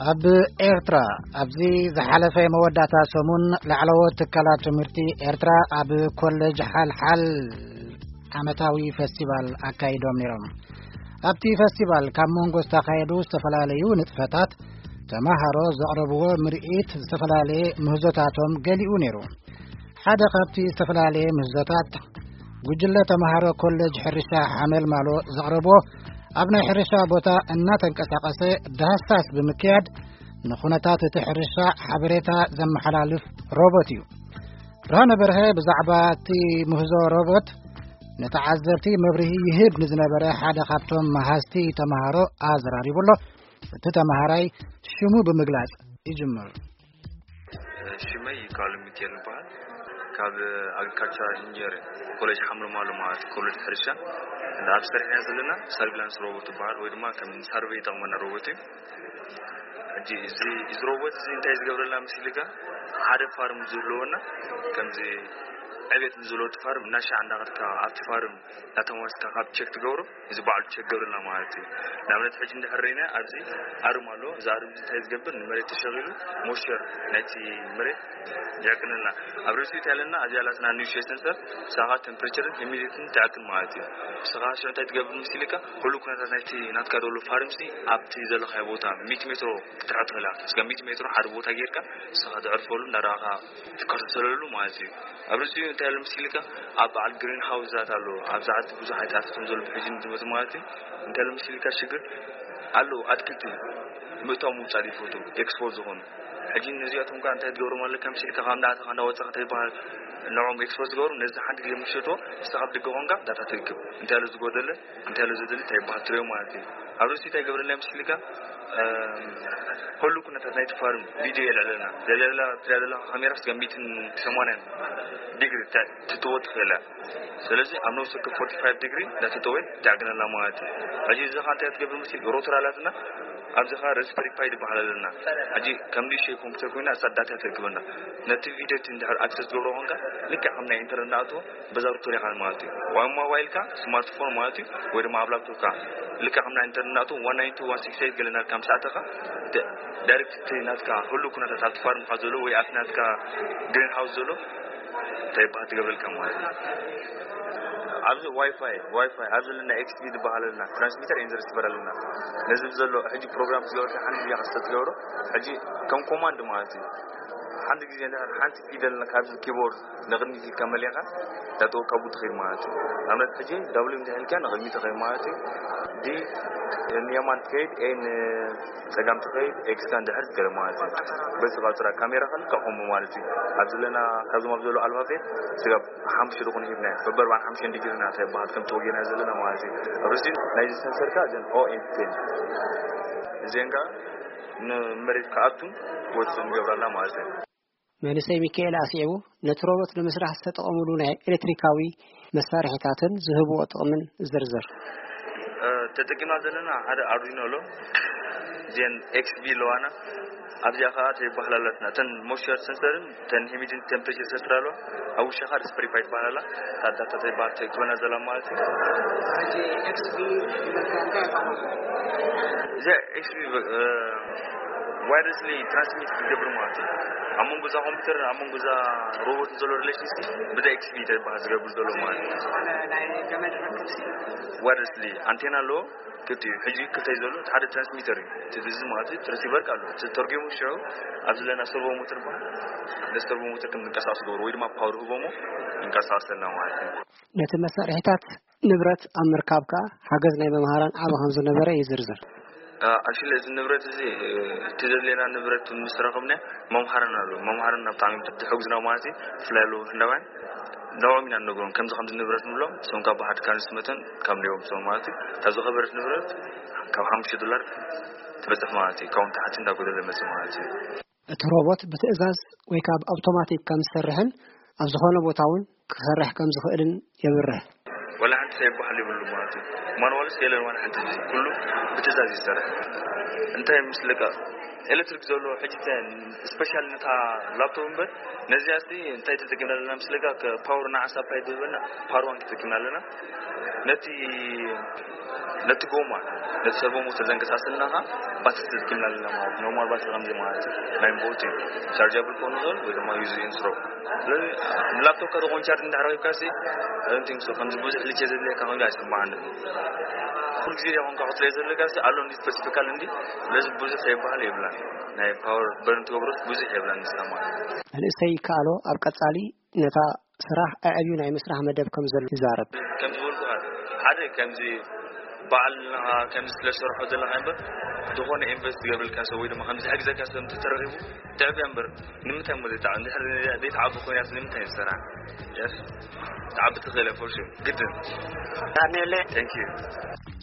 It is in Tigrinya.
ኣብ ኤርትራ ኣብዚ ዝሓለፈ መወዳእታ ሰሙን ላዕለዎት ትካላት ትምህርቲ ኤርትራ ኣብ ኮሌጅ ሓልሓል ዓመታዊ ፈስቲቫል ኣካይዶም ነይሮም። ኣብቲ ፈስቲቫል ካብ መንጎ ዝተኻየዱ ዝተፈላለዩ ንጥፈታት ተማሃሮ ዘቕረብዎ ምርኢት ዝተፈላለየ ምህዞታቶም ገሊኡ ነይሩ። ሓደ ካብቲ ዝተፈላለየ ምህዞታት ጉጅለ ተማሃሮ ኮሌጅ ሕርሻ ሓመልማሎ ዘቕረብዎ ኣብ ናይ ሕርሻ ቦታ እናተንቀሳቐሰ ዳህሳስ ብምክያድ ንኹነታት እቲ ሕርሻ ሓበሬታ ዘመሓላልፍ ሮቦት እዩ። ብርሃነ በርሀ ብዛዕባ እቲ ምህዞ ሮቦት ንተዓዘብቲ መብርሂ ይህብ ንዝነበረ ሓደ ካብቶም መሃዝቲ ተማሃሮ ኣዘራሪቡ ኣሎ። እቲ ተማሃራይ ሽሙ ብምግላጽ ይጅምር። ሽመይ ይካሉ ሚካኤል ይበሃል። ካብ ኣግሪካልቸራል ኢንጂነር ኮሌጅ ሓምርማሎ ማለት ኮሌጅ ሕርሻ እንዳ ኣብ ስራሕ ኢና ዘለና። ሰርቪላንስ ሮቦት ይበሃል ወይ ድማ ከም ሳርቬይ ይጠቕመና ሮቦት እዩ። ሕጂ እዚ እዚ ሮቦት እዚ እንታይ ዝገብረልና መሲልካ ሓደ ፋርም ዝህልወና ከምዚ ዕቤት ንዝህልወ እቲ ፋርም እናሻዕ እንዳኸድካ ኣብቲ ፋርም እናተመወስካ ካብ ቸክ ትገብሮ እዚ በዓሉ ቸክ ገብረልና ማለት እዩ። ንኣብነት ሕጂ እንድሕር ርኢና ኣብዚ ኣርም ኣሎ። እዚ ኣርም እዚ እንታይ ዝገብር ንመሬት ተሸኺሉ ሞይስቸር ናይቲ መሬት ይዕቅንልና። ኣብ ርእሲኡ እንታይ ኣለና ኣብዚኣ ላትና ኒውትሪሽን ሰንሰር ንሳኻ ቴምፕሬቸርን ሂሚዲቲን ትዕቅን ማለት እዩ። ንስኻ ሽዑ እንታይ ትገብር መሲልካ ኩሉ ኩነታት ናይቲ ናትካ ዘሎ ፋርምሲ ኣብቲ ዘለኻዮ ቦታ ሚእቲ ሜትሮ ክትሕር ትኽእል ኢኻ። እስከ ሚእቲ ሜትሮ ሓደ ቦታ ጌርካ ንስኻ ተዕርፈሉ እንዳረኣኻ ትከታተለሉ ማለት እዩ። ኣብ ርእሲኡ እንታይ ኣሎ መሲልካ ኣብ በዓል ግሪን ሃውስታት ኣሎ ኣብ ሰዓት ብዙሕ ኣይጣፍቶም ዘሎ ብሕጂ ንዝመፁ ማለት እዩ። እንታይ ኣሎ መሲልካ ሽግር ኣሎ ኣትክልቲ ምእታው ምውፃእ ይፈቱ ኤክስፖርት ዝኾኑ ሕጂ ነዚኣቶም ጋር እንታይ ትገብሮም ኣለካ መሲልካ ካብ እንዳኣተኻ እንዳወፃኻ እንታይ ይበሃል ንዕኦም ኤክስፖርት ዝገብሩ ነዚ ሓንቲ ግዜ ምሸጥዎ ንስኻ ኣብ ደገ ኮንካ ዳታ ትእክብ እንታይ ኣሎ ዝጎደለ እንታይ ኣሎ ዘድሊ እንታይ ይበሃል ትሪኦ ማለት እዩ። ኣብ ርእሲ እንታይ ገብረልና መሲልካ ኩሉ ኩነታት ናይቲ ፋርም ቪድዮ የልዕለና ዘላ ትሪያ ዘለካ ካሜራ ስጋ ሚእትን ሰማንያን ዲግሪ ትትዎ ትኽእል እያ። ስለዚ ኣብ ነብሲ ወከፍ ፎርቲ ፋይቭ ዲግሪ እንዳተተወ ትዕግነልና ማለት እዩ። ሕጂ እዚ ኻ እንታይ ትገብር መሲል ሮተር ኣላትና ኣብዚ ኻ ረስፐሪ ፓይ ዝበሃል ኣለና። ሕጂ ከም ንእሽተይ ኮምፒተር ኮይና እሳ ዳታ ተርክበና ነቲ ቪድዮ እቲ እንድሕር ኣክሰስ ትገብሮ ኮንካ ልክዕ ከም ናይ ኢንተርነት ንኣትዎ በዛ ሩተር ኢኻ ማለት እዩ። ዋን ሞባይልካ ስማርትፎን ማለት እዩ ወይ ድማ ኣብ ላፕቶፕካ ልክዕ ከም ናይ ኢንተርነት ንኣትዎ ዋን ናይን ቱ ዋን ሲክስ ኤይት ገለናልካ ምስ ኣተኻ ዳይሬክት እቲ ናትካ ኩሉ ኩነታት ኣብቲ ፋርምካ ዘሎ ወይ ኣብቲ ናትካ ግሪን ሃውስ ዘሎ እንታይ ይበሃል ትገብረልካ ማለት እዩ። ኣብዚ ዋይፋይ ዋይፋይ ኣብዚ ለና ኤክስቢ ዝበሃል ኣለና ትራንስሚተር ኤንድ ሪሲቨር ኣለና። ነዚ ዘሎ ሕጂ ፕሮግራም ዝገበርካ ሓንቲ ግዜ ክስተ ትገብሮ ሕጂ ከም ኮማንድ ማለት እዩ። ሓንቲ ግዜ እንድሕር ሓንቲ ፊደል ካብዚ ኪቦርድ ንቕድሚት ኢልካ መሊኻ እንዳጠወካ ቡ ትኽእል ማለት እዩ። ኣብነት ሕጂ ዳብሊው እንድሕር ኢልካ ንቕድሚት ትኽእል ማለት እዩ። ዲ ንየማን ትኸይድ ኤ ን ጸጋም ትኸይድ ኤክስካ እንድሕር ትገለ ማለት እዩ። በዚ ቃጽራ ካሜራ ከልካ ከምኡ ማለት እዩ። ኣብ ዘለና ካብዞም ኣብ ዘሎ ኣልፋቤት ስጋብ ሓሙሽተ ዝኾኑ ሂብና በበርባን ሓሙሽተ ዲግሪና ተባሃት ከም ተወጊና ዘለና ማለት እዩ። ኣብ ርእሲ ናይዚ ሰንሰርካ እዘን ኦ ኤፍ ቴን እዚአን ከዓ ንመሬት ክኣቱን ክወፅእ ንገብራላ ማለት እዩ። መንእሰይ ሚካኤል ኣስዒቡ ነቲ ሮቦት ንምስራሕ ዝተጠቐምሉ ናይ ኤሌክትሪካዊ መሳርሒታትን ዝህብዎ ጥቕምን ዝርዝር። ተጠቂማ ዘለና ሓደ ኣርዲኖ ኣሎ። እዚአን ኤክስቢ ኣለዋና። ኣብዚኣ ከዓ ተይባህላላትና እተን ሞይስቸር ሰንሰርን እተን ሂሚዲን ቴምፕሬቸር ሰንሰር ኣለዋ። ኣብ ውሽኻ ሪስፕሪፓይ ትባህላላ። ታዳታ ተይባህል ተይክበና ዘላ ማለት እዩ። እዚ ኤክስቢ ዋይረስሊ ትራንስሚት ዝገብር ማለት እዩ። ኣብ መንጎ እዛ ኮምፒውተር ኣብ መንጎ እዛ ሮቦት ዘሎ ሪሌሽንሽፕ ብዛ ኤክስቢ ተባህ ዝገብር ዘሎ ማለት እዩ። ዋይረስሊ ኣንቴና ኣለዎ። ክልቲኡ ሕጂ ክልተ እዩ ዘሎ። እቲ ሓደ ትራንስሚተር እዩ። እቲ ብዚ ማለት እዩ ትራንሲቨር ኣሎ። እቲ ተርጉሙ ሽዑ ኣብ ዘለና ሰርቮ ሞተር በሃል ነዚ ሰርቮ ሞተር ከም ዝንቀሳቀስ ገብሮ ወይ ድማ ፓወር ህቦሞ ይንቀሳቀሰልና ማለት እዩ። ነቲ መሳርሒታት ንብረት ኣብ ምርካብ ከኣ ሓገዝ ናይ መምሃራን ዓቢ ከም ዝነበረ እዩ ዝርዝር። ኣክሽሊ እዚ ንብረት እዚ እቲ ዘድልየና ንብረት ምስ ረኸብና መምሃርና ኣሎ መምሃርና ብጣዕሚ ተሕጉዝና ማለት እዩ። ብፍላይ ኣለዉ ህንዳውያን ንዕኦም ኢና ንነግሮም ከምዚ ከምዚ ንብረት ንብሎም እሶም ካብ ብሓድ ካብ ንስመተን ካብ ንዮም እሶም ማለት እዩ። ካብ ዝኸበረት ንብረት ካብ ሓሙሽተ ዶላር ትበፅሕ ማለት እዩ። ካብኡ ንታሕቲ እንዳጎደለ መፅእ ማለት እዩ። እቲ ሮቦት ብትእዛዝ ወይ ካብ ኣውቶማቲክ ከም ዝሰርሕን ኣብ ዝኾነ ቦታ እውን ክሰርሕ ከም ዝኽእልን የብርህ። ዋላ ሓንቲ ይበሃል ይብሉ ማለት እዩ። ማንዋልስ የለን ዋላ ሓንቲ፣ ኩሉ ብትእዛዝ ይሰርሕ። እንታይ ምስልካ ኤሌክትሪክ ዘሎ ሕጂ፣ ስፔሻል ነታ ላፕቶፕ እምበር፣ ነዚኣ እስቲ እንታይ ተጠቂምና ኣለና ምስልካ፣ ፓወር ንዓ ሳፕላይ ዝህበና ፓወር ዋን ተጠቂምና ኣለና። ነቲ ነቲ ጎማ፣ ነቲ ሰርቮ ሞተር ዘንቀሳስልና ኸዓ ባትሪ ተጠቂምና ኣለና ማለት፣ ኖርማል ባትሪ ከምዚ ማለት እዩ። ናይ ቦቲ ቻርጃብል ክኾን ይኽእል ወይ ድማ ዩዚ ኢንትሮ። ስለዚ ንላፕቶፕ ከተኾን ቻርጅ እንድሕር ረኺብካ ሲ፣ ከምዚ ብዙሕ ልቼ ዘድልየካ ኮይኑ ኣይስምዓን። ኩሉ ግዜ ዲኻ ኮንካ ክትሪኦ ዘለካ ሲ ኣሎ እንዲ ስፔሲፊካል እንዲ። ስለዚ ብዙሕ ዘይበሃል የብላን። ናይ ፓወር በርን ትገብሮስ ብዙሕ የብላን ንስኻ ማለት እዩ። መንእሰይ ይከኣሎ ኣብ ቀጻሊ ነታ ስራሕ ኣዕብዩ ናይ ምስራሕ መደብ ከም ዘሎ ይዛረብ። ከም ዝበልኩኻ፣ ሓደ ከምዚ በዓል ንኻ ከምዚ ስለ ዝሰርሖ ዘለኻ እምበር፣ ዝኾነ ኢንቨስት ዝገብረልካ ሰብ ወይ ድማ ከምዚ ዝሕግዘካ ሰብ እንተተረኺቡ ትዕብያ እምበር፣ ንምንታይ እሞ ዘይትዓ-፣ እንድሕር ዘይትዓቢ ኮይናስ ንምንታይ ዝሰራ? የስ፣ ትዓቢ ትኽእል እያ፣ ፎር ሹር፣ ግድን። ዳንኤለ። Thank you።